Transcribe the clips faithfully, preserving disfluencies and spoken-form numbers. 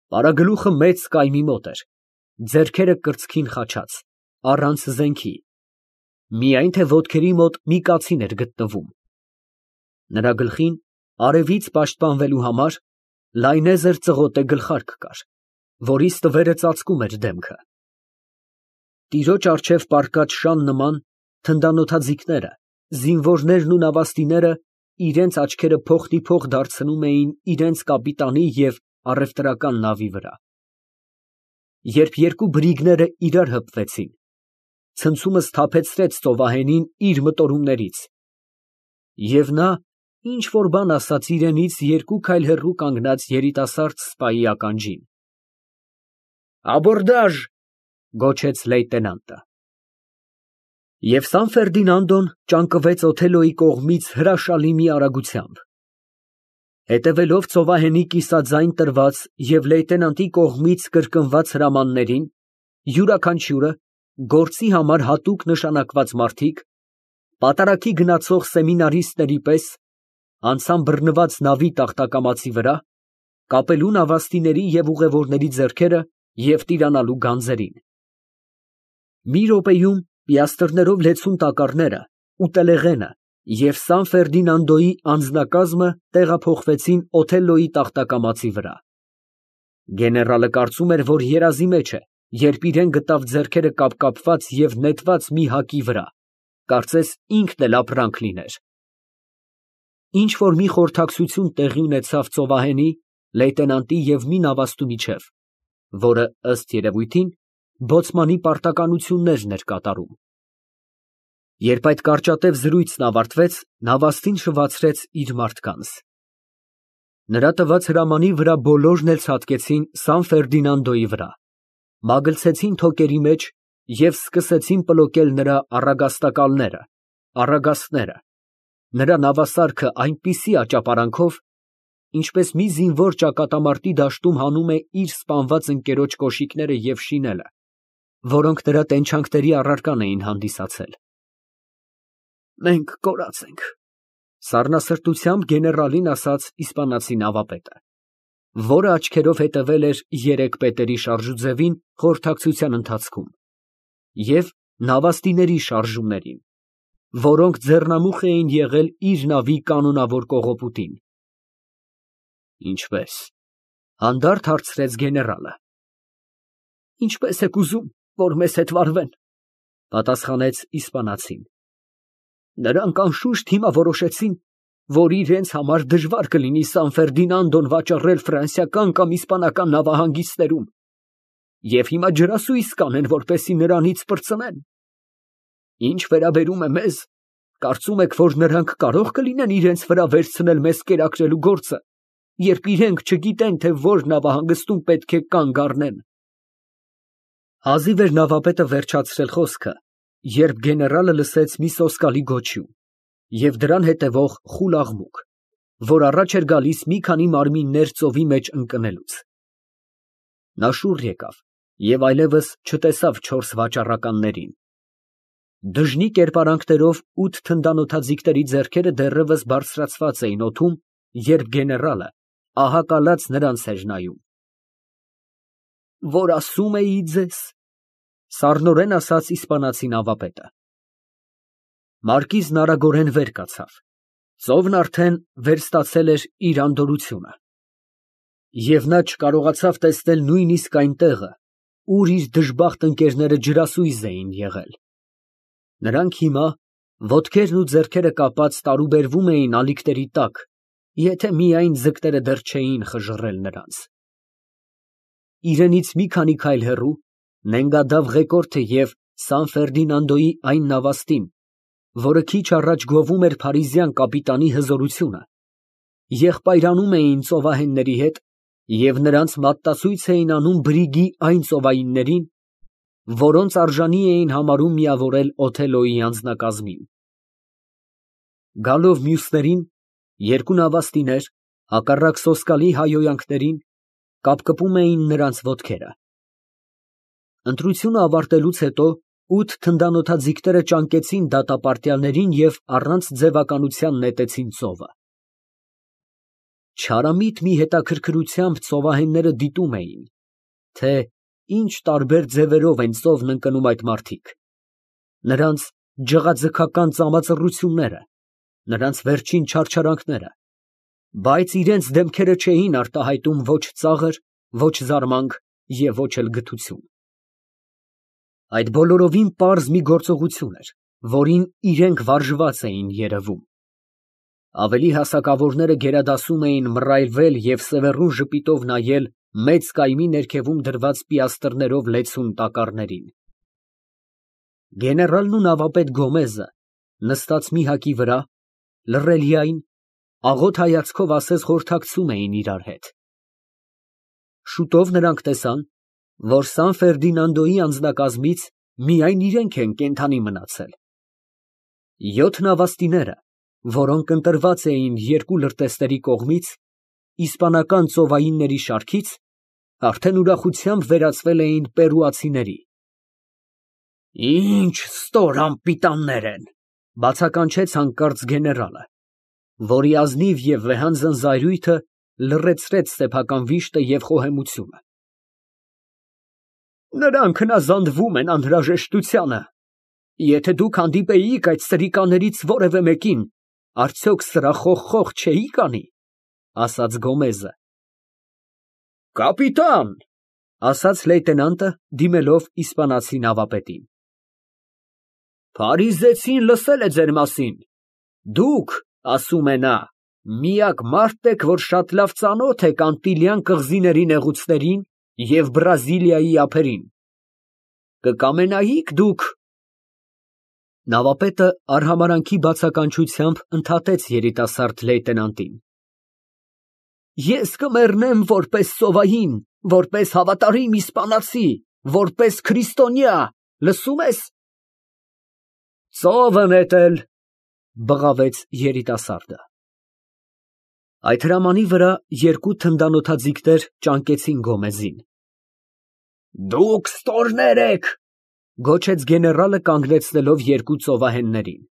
Պարագլուխը մեծ կայմի մոտ էր, ձեռքերը կրծքին խաչած, առանց զենքի, միայն թե ոտքերի մոտ մի կացին էր գտնվում. նրա գլխին, արևից պաշտպանվելու համար, լայնեզր ծղոտե գլխարկ կար, որի ստվերը ծածկում էր դեմքը։ Տիրոջ առջև պառկած շան նման թնդանոթաձիգները, զինվորներն ու նավաստիները իրենց աչքերը փոխդիփոխ դարձնում էին իրենց կապիտանի և առևտրական նավի վրա։ Երբ երկու բրիգները իրար հպվեցին, ցնցումը սթափեցրեց ծովահենին իր մտորումներից, և նա ինչ֊որ բան ասաց իրենից երկու քայլ հեռու կանգնած երիտասարդ սպայի ականջին։ «Աբորդաժ», գոչեց լեյտենանտը։ Եվ Սան֊Ֆերդինանդոն ճանկվեց Օթելլոյի կողմից հրաշալի մի արագությամբ։ Հետևելով ծովահենի կիսաձայն տրված և լեյտենանտի կողմից կրկնված հրամաններին, յուրաքանչյուրը գործի համար հատուկ նշանակված մարդիկ, պատարագի գնացող սեմինարիստների պես, անցան բռնված նավի տախտակամածի վրա, կապելու նավաստիների և ուղևորների ձեռքերը և տիրանալու գանձերին։ Մի րոպեում պիաստրներով լեցուն տակառները, ուտելեղենը և Սան֊Ֆերդինանդոյի անձնակազմը տեղափոխվեցին Օթելլոյի տախտակամածի վրա։ Գեներալը կարծում էր, որ երազի մեջ է, երբ իրան գտավ ձեռքերը կապկապված և նետված մի հակի վրա, կարծես ինքն էլ ապրանք լիներ։ Ինչ֊որ մի խորհրդակցություն տեղի ունեցավ ծովահենի, լեյտենանտի և մի նավաստու միջև, որը, ըստ երևույթին, բոցմանի պարտականություններն էր կատարում։ Երբ այդ կարճատև զրույցն ավարտվեց, նավաստին շվացրեց իր մարդկանց։ Նրա տված հրամանի վրա բոլորն էլ ցատկեցին Սան֊Ֆերդինանդոյի վրա, մագլցեցին թոկերի մեջ և սկսեցին պլոկել նրա առագաստակալները, առագաստները, նրա նավասարքը այնպիսի աճապարանքով, ինչպես մի զինվոր ճակատամարտի դաշտում հանում է իր սպանված ընկերոջ կոշիկները և շինելը, որոնք նրա տենչանքների առարկան էին հանդիսացել։ «Մենք կորած ենք», ֊ սառնասրտությամբ գեներալին ասաց իսպանացի նավապետը, որը աչքերով հետևել էր երեք պետերի շարժուձևին խորհրդակցության ընթացքում և նավաստիների շարժումներին, որոնք ձեռնամուխ էին եղել իր նավի կանոնավոր կողոպուտին։ «Ինչպե՞ս», ֊ հանդարտ հարցրեց գեներալը։ «Ինչպես եք ուզում, որ մեզ հետ վարվեն», ֊ պատասխանեց իսպանացին։ «Նրանք անշուշտ հիմա որոշեցին, որ իրենց համար դժվար կլինի Սան֊Ֆերդինանդոն վաճառել ֆրանսիական կամ իսպանական նավահանգիստներում, և հիմա ջրասույզ կանեն, որպեսզի նրանից պրծնեն։ Ինչ վերաբերում է մեզ, կարծում եք, որ նրանք կարո՞ղ կլինեն իրենց վրա վերցնել մեզ կերակրելու գործը, երբ իրենք չգիտեն, թե որ նավահանգստում պետք է կանգ առնեն»։ Հազիվ էր նավապետը վերջացրել խոսքը, երբ գեներալը լսեց մի սոսկալի գոչյուն և դրան հետևող խուլ աղմուկ, որ առաջ էր գալիս մի քանի մարմիններ ծովի մեջ ընկնելուց։ Նա շուռ եկավ և այլևս չտեսավ չորս վաճառականներին։ Դժնի կերպարանքներով ութ թնդանոթաձիգների ձեռքերը դեռևս բարձրացված էին օդում, երբ գեներալը, ահա կալած, նրանց էր նայում։ «Որ ասում էի ձեզ», ֊ սառնորեն ասաց իսպանացի նավապետը։ Մարկիզն արագորեն վեր կացավ, ծովն արդեն վերստացել էր իր անդորրությունը, և նա չկարողացավ տեսնել նույնիսկ այն տեղը, ուր իր դժբախտ ընկերները ջրասույզ էին եղել։ Նրանք հիմա, ոտքերն ու ձեռքերը կապած, տարուբերվում էին ալիքների տակ, եթե միայն ձկները դեռ չէին խժռել նրանց։ Իրենից մի քանի քայլ հեռու նենգադավ ղեկորդը և Սան֊Ֆերդինանդոյի այն նավաստին, որը քիչ առաջ գովում էր փարիզյան կապիտանի հզորությունը, եղբայրանում էին ծովահենների հետ և նրանց մատտացույց էին անում բրիգի այն ծովայիններին, որոնց արժանի էին համարում միավորել Օթելլոյի անձնակազմին։ Գալով մյուսներին, երկու նավաստիներ, հակառակ սոսկալի հայհոյանքներին, կապկպում էին նրանց ոտքերը։ Ընտրությունը ավարտելուց հետո ութ թնդանոթաձիգները ճանկեցին դատապարտյալներին և առանց ձևականության նետեցին ծովը։ Չարամիտ մի հետաքրքրությամբ ծովահենները դիտում էին, թե ինչ տարբեր ձևերով են ծովն ընկնում այդ մարդիկ, նրանց ջղաձգական ծամածռությունները, նրանց վերջին չարչարանքները, բայց իրենց դեմքերը չէին արտահայտում ոչ ծաղր, ոչ զարմանք և ոչ էլ գթություն։ Այդ բոլորովին պարզ մի գործողություն էր, որին իրենք վարժված էին երևում։ Ավելի հասակավորները գերադասում էին մռայլվել և սևեռուն ժպիտով նայել մեծ կայմի ներքևում դրված պիաստրներով լեցուն տակառներին։ Գեներալն ու նավապետ Գոմեզը, նստած մի հակի վրա, լռելիայն, աղոտ հայացքով ասես խորհրդակցում էին իրար հետ։ Շուտով նրանք տեսան, որ Սան֊Ֆերդինանդոյի անձնակազմից միայն իրենք են կենդանի մնացել։ Յոթ նավաստիները, որոնք ընտրված էին երկու լրտեսների կողմից, իսպանական ծովայինների շարքից, արդեն ուրախությամբ վերածվել էին պերուացիների։ «Ինչ ստոր անպիտաններ են», ֊ բացականչեց հանկարծ գեներալը, որի ազնիվ և վեհանձն զայրույթը լռեցրեց սեփական վիշտը և խոհեմությունը։ «Նրանք հնազանդվում են անհրաժեշտությանը։ Եթե դուք հանդիպեիք այդ սրիկաներից որևէ մեկին, արդյոք սրա խոխխող չէիք անի», ֊ ասաց Գոմեզը։ «Կապիտան», ֊ ասաց լեյտենանտը, դիմելով իսպանացի նավապետին, «Փարիզեցին լսել է ձեր մասին. դուք, ասում է նա, միակ մարդն եք, որ շատ լավ ծանոթ եք Անտիլյան կղզիների նեղուցներին և Բրազիլիայի ափերին. կկամենայիք դուք… Նավապետը արհամարհանքի բացականչությամբ ընդհատեց երիտասարդ լեյտենանտին. «Ես կմեռնեմ որպես ծովային, որպես հավատարիմ իսպանացի, որպես քրիստոնյա, լսո՞ւմ ես»։ «Ծովը նետել», ֊ բղավեց երիտասարդը։ Այդ հրամանի վրա երկու թնդանոթաձիգներ ճանկեցին Գոմեզին։ «Դուք ստորներ եք», ֊ գոչեց գեներալը, կանգնեցնելով երկու ծովահեններին։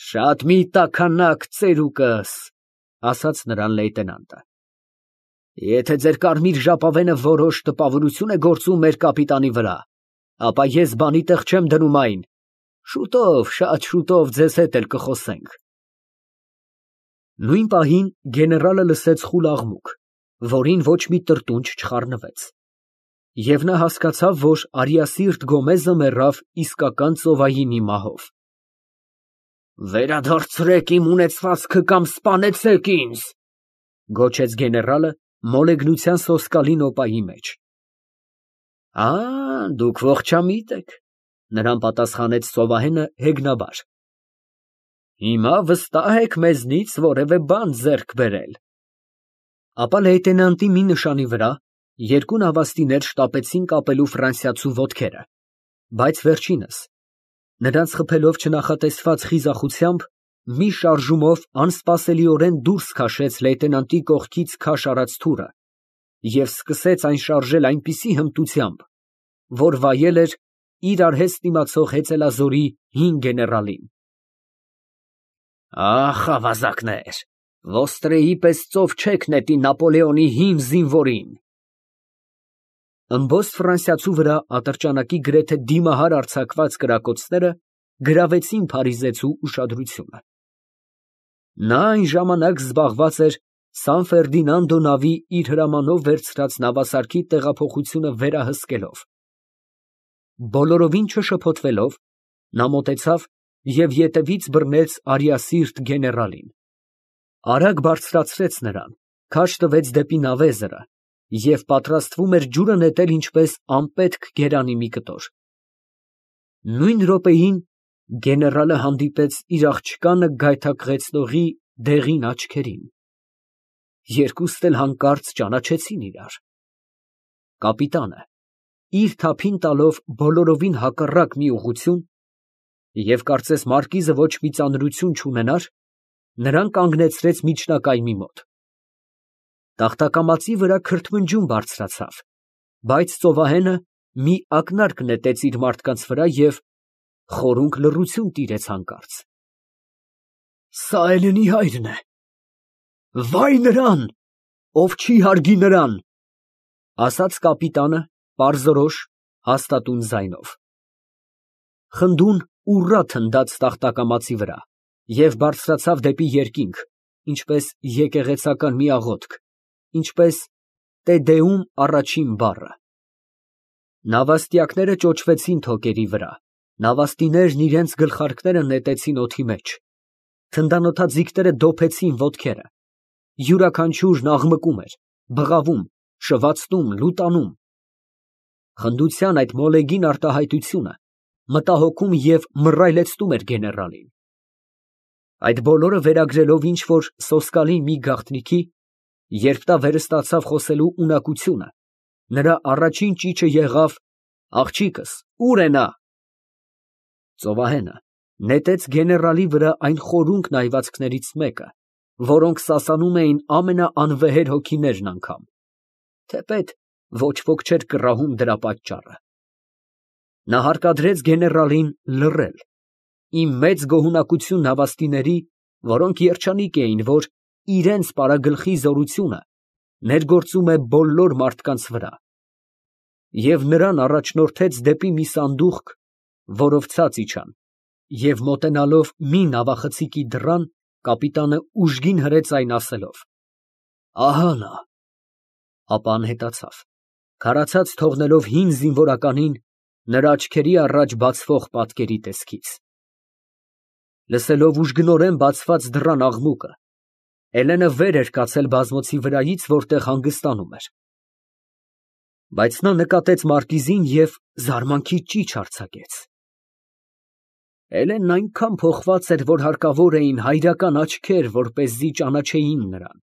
«Շատ մի տաքանակ ծերուկս», ֊ ասաց նրան լեյտենանտը։ «Եթե ձեր կարմիր ժապավենը որոշ տպավորություն է գործում մեր կապիտանի վրա, ապա ես բանի տեղ չեմ դնում այն, շուտով, շատ շուտով ձեզ հետ էլ կխոսենք»։ Նույն պահին գեներալը լսեց խուլ աղմուկ, որին ոչ մի տրտունջ չխառնվեց, և նա հասկացավ, որ արիասիրտ Գոմեզը մեռավ իսկական ծովայինի մահով։ «Վերադարձրեք իմ ունեցվածքը կամ սպանեցեք ինձ», ֊ գոչեց գեներալը մոլեգնության սոսկալի նոպայի մեջ։ «Ա, դուք ողջամիտ եք», ֊ նրան պատասխանեց ծովահենը հեգնաբար։ «Հիմա վստահ եք մեզնից որևէ բան ձեռք բերել»։ Ապա լեյտենանտի մի նշանի վրա երկու նավաստիներ շտապեցին կապելու ֆրանսիացու ոտքերը, բայց վերջինս, նրանց խփելով չնախատեսված խիզախությամբ, մի շարժումով անսպասելիորեն դուրս քաշեց լեյտենանտի կողքից քաշ արած թուրը և սկսեց այն շարժել այնպիսի հմտությամբ, որ վայել էր իր արհեստ իմացող հեծելազորի հին գեներալին։ «Ախ, ավազակներ, ոստրեի պես ծով չեք նետի Նապոլեոնի հին զինվորին»։ Ըմբոստ ֆրանսիացու վրա ատրճանակի գրեթե դիմահար արձակված կրակոցները գրավեցին փարիզեցու ուշադրությունը։ Նա այն ժամանակ զբաղված էր Սան֊Ֆերդինանդո նավի իր հրամանով վերցրած նավասարքի տեղափոխությունը վերահսկելով։ Բոլորովին չշփոթվելով, նա մոտեցավ և ետևից բռնեց արիասիրտ գեներալին, արագ բարձրացրեց նրան, քաշ տվեց դեպի նավեզրը և պատրաստվում էր ջուրը նետել ինչպես անպետք գերանի մի կտոր։ Նույն րոպեին գեներալը հանդիպեց իր աղջկանը գայթակղեցնողի դեղին աչքերին։ Երկուստ էլ հանկարծ ճանաչեցին իրար։ Կապիտանը, իր թափին տալով բոլորովին հակառակ մի ուղղություն, և կարծես մարկիզը ոչ մի ծանրություն չունենար, նրան կանգնեցրեց միջնակայմի մոտ։ Տախտակամածի վրա քրթմնջյուն բարձրացավ, բայց ծովահենը մի ակնարկ նետեց իր մարդկանց վրա և խորունկ լռություն տիրեց հանկարծ։ «Սա Էլենի հայրն է», Վայ նրան, ով չի հարգի նրան, ասաց կապիտանը պարզորոշ, հաստատուն ձայնով։ Խնդուն ուռա թնդաց տախտակամածի վրա և բարձրացավ դեպի երկինք, ինչպես եկեղեցական մի աղոթք, ինչպես «Տե Դեում» առաջին բառը։ Նավաստիակները ճոճվեցին թոկերի վրա, նավաստիներն իրենց գլխարկները նետեցին օդի մեջ, թնդանոթաձիգները դոփեցին ոտքերը, յուրաքանչյուրն աղմկում էր, բղավում, շվացնում, լուտանում։ Խնդության այդ մոլեգին արտահայտությունը մտահոգում և մռայլեցնում էր գեներալին։ Այդ բոլորը վերագրելով ինչ֊որ սոսկալի մի գաղտնիքի, երբ նա վերստացավ խոսելու ունակությունը, նրա առաջին ճիչը եղավ. «Աղջիկս, ո՞ւր է նա»։ Ծովահենը նետեց գեներալի վրա այն խորունկ նայվածքներից մեկը, որոնք սասանում էին ամենաանվեհեր հոգիներն անգամ, թեպետ ոչ ոք չէր կռահում դրա պատճառը։ Նա հարկադրեց գեներալին լռել, ի մեծ գոհունակություն նավաստիների, որոնք երջանիկ էին, որ իրենց պարագլխի զորությունը ներգործում է բոլոր մարդկանց վրա, և նրան առաջնորդեց դեպի մի սանդուղք, որով ցած իջան, և մոտենալով մի նավախցիկի դռան, կապիտանը ուժգին հրեց այն ասելով. «Ահա նա», ապա անհետացավ, քարացած թողնելով հին զինվորականին նրա աչքերի առաջ բացվող պատկերի տեսքից։ Լսելով ուժգնորեն բացված դռան աղմուկը, Էլենը վեր էր կացել բազմոցի վրայից, որտեղ հանգստանում էր։ Բայց նա նկատեց մարկիզին և զարմանքի ճիչ արձակեց։ Էլենն այնքան փոխված էր, որ հարկավոր էին հայրական աչքեր, որպեսզի ճանաչեին նրան։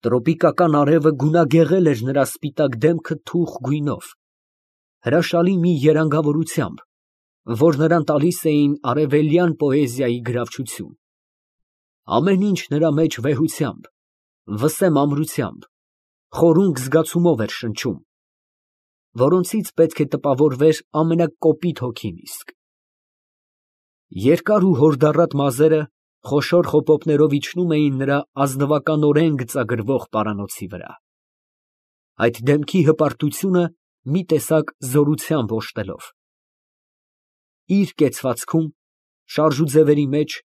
Տրոպիկական արևը գունագեղել էր նրա սպիտակ դեմքը թուխ գույնով, հրաշալի մի երանգավորությամբ, որ նրան տալիս էին արևելյան պոեզիայի գրավչություն։ Ամեն ինչ նրա մեջ վեհությամբ, վսեմ ամրությամբ, խորունկ զգացումով էր շնչում, որոնցից պետք է տպավորվեր ամենակոպիտ հոգին իսկ։ Երկար ու հորդառատ մազերը խոշոր խոպոպներով իջնում էին նրա ազնվականորեն գծագրվող պարանոցի վրա, այդ դեմքի հպարտությունը մի տեսակ զորությամբ օժտելով։ Իր կեցվածքում, շարժուձևերի մեջ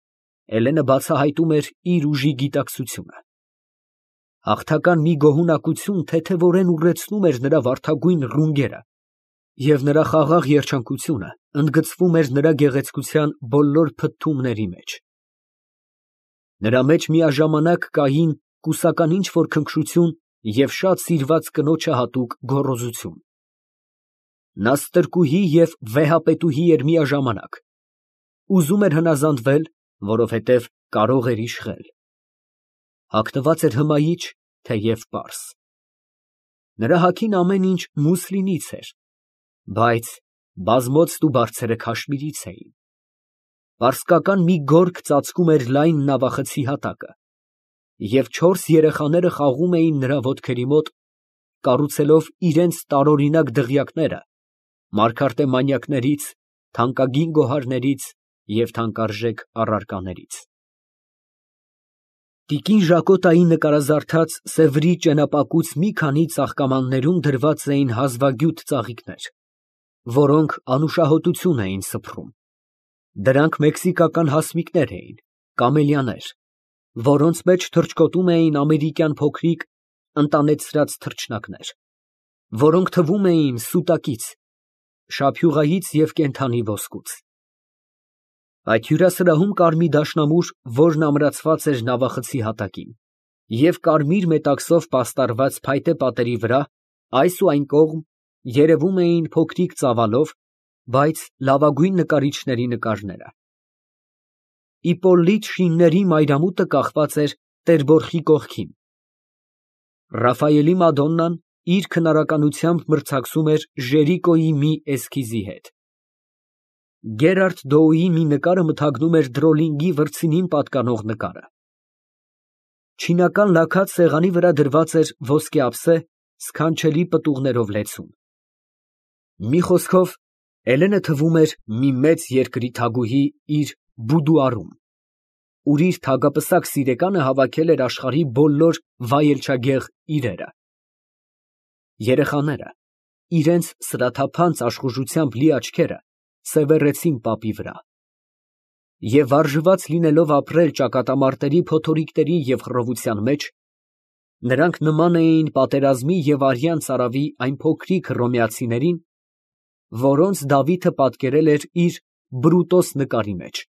Էլենը բացահայտում էր իր ուժի գիտակցությունը։ Հաղթական մի գոհունակություն թեթևորեն ուռեցնում էր նրա վարդագույն ռունգերը, և նրա խաղաղ երջանկությունը ընդգծվում էր նրա գեղեցկության բոլոր փթթումների մեջ։ Նրա մեջ միաժամանակ կային կուսական ինչ֊որ քնքշություն և շատ սիրված կնոջը հատուկ գոռոզություն։ Նա ստրկուհի և վեհապետուհի էր միաժամանակ, ուզում էր հնազանդվել, որովհետև կարող էր իշխել, հագնված էր հմայիչ, թեև պարզ։ Նրա հագին ամեն ինչ մուսլինից էր, բայց բազմոցն ու բարձերը քաշմիրից էին։ Պարսկական մի գորգ ծածկում էր լայն նավախցի հատակը, և չորս երեխաները խաղում էին նրա ոտքերի մոտ, կառուցելով իրենց տարօրինակ դղյակները մարգարտե մանյակներից, թանկագին գոհարներից և թանկարժեք առարկաներից։ Տիկին Ժակոտայի նկարազարդած Սևրի ճենապակուց մի քանի ծաղկամաններում դրված էին հազվագյուտ ծաղիկներ, որոնք անուշահոտություն էին սփռում։ Դրանք մեքսիկական հասմիկներ էին, կամելիաներ, որոնց մեջ թռչկոտում էին ամերիկյան փոքրիկ ընտանեցրած թռչնակներ, որոնք թվում էին սուտակից, շափյուղայից և կենդանի ոսկուց։ Այդ հյուրասրահում կար մի դաշնամուր, որն ամրացված էր նավախցի հատակին, և կարմիր մետաքսով պաստառված փայտե պատերի վրա այս ու այն կողմ երևում էին փոքրիկ ծավալով, բայց լավագույն նկարիչների նկարները։ Իպպոլիտ շինների մայրամուտը կախված էր Տեր֊Բորխի կողքին։ Ռաֆայելի մադոննան իր քնարականությամբ մրցակցում էր Ժերիկոյի մի էսքիզի հետ։ Գերարդ Դոուի մի նկարը մթագնում էր Դրոլինգի վրձինին պատկանող նկարը։ Չինական լաքած սեղանի վրա դրված էր ոսկե ափսե, սքանչելի պտուղներով լեցուն։ Մի խոսքով, Էլենը թվում էր մի մեծ երկրի թագուհի իր բուդուարում։ ուր իր թագապսակ սիրեկանը հավաքել էր աշխարհի բոլոր վայելչագեղ իրերը։ Երեխաները իրենց սրաթափանց աշխուժությամբ լի աչքերը սևեռեցին պապի վրա, և վարժված լինելով ապրել ճակատամարտերի փոթորիկների և խռովության մեջ, նրանք նման էին պատերազմի և արյան ծարավի այն փոքրիկ հռոմեացիներին, որոնց Դավիթը պատկերել էր իր Բրուտոս նկարի մեջ։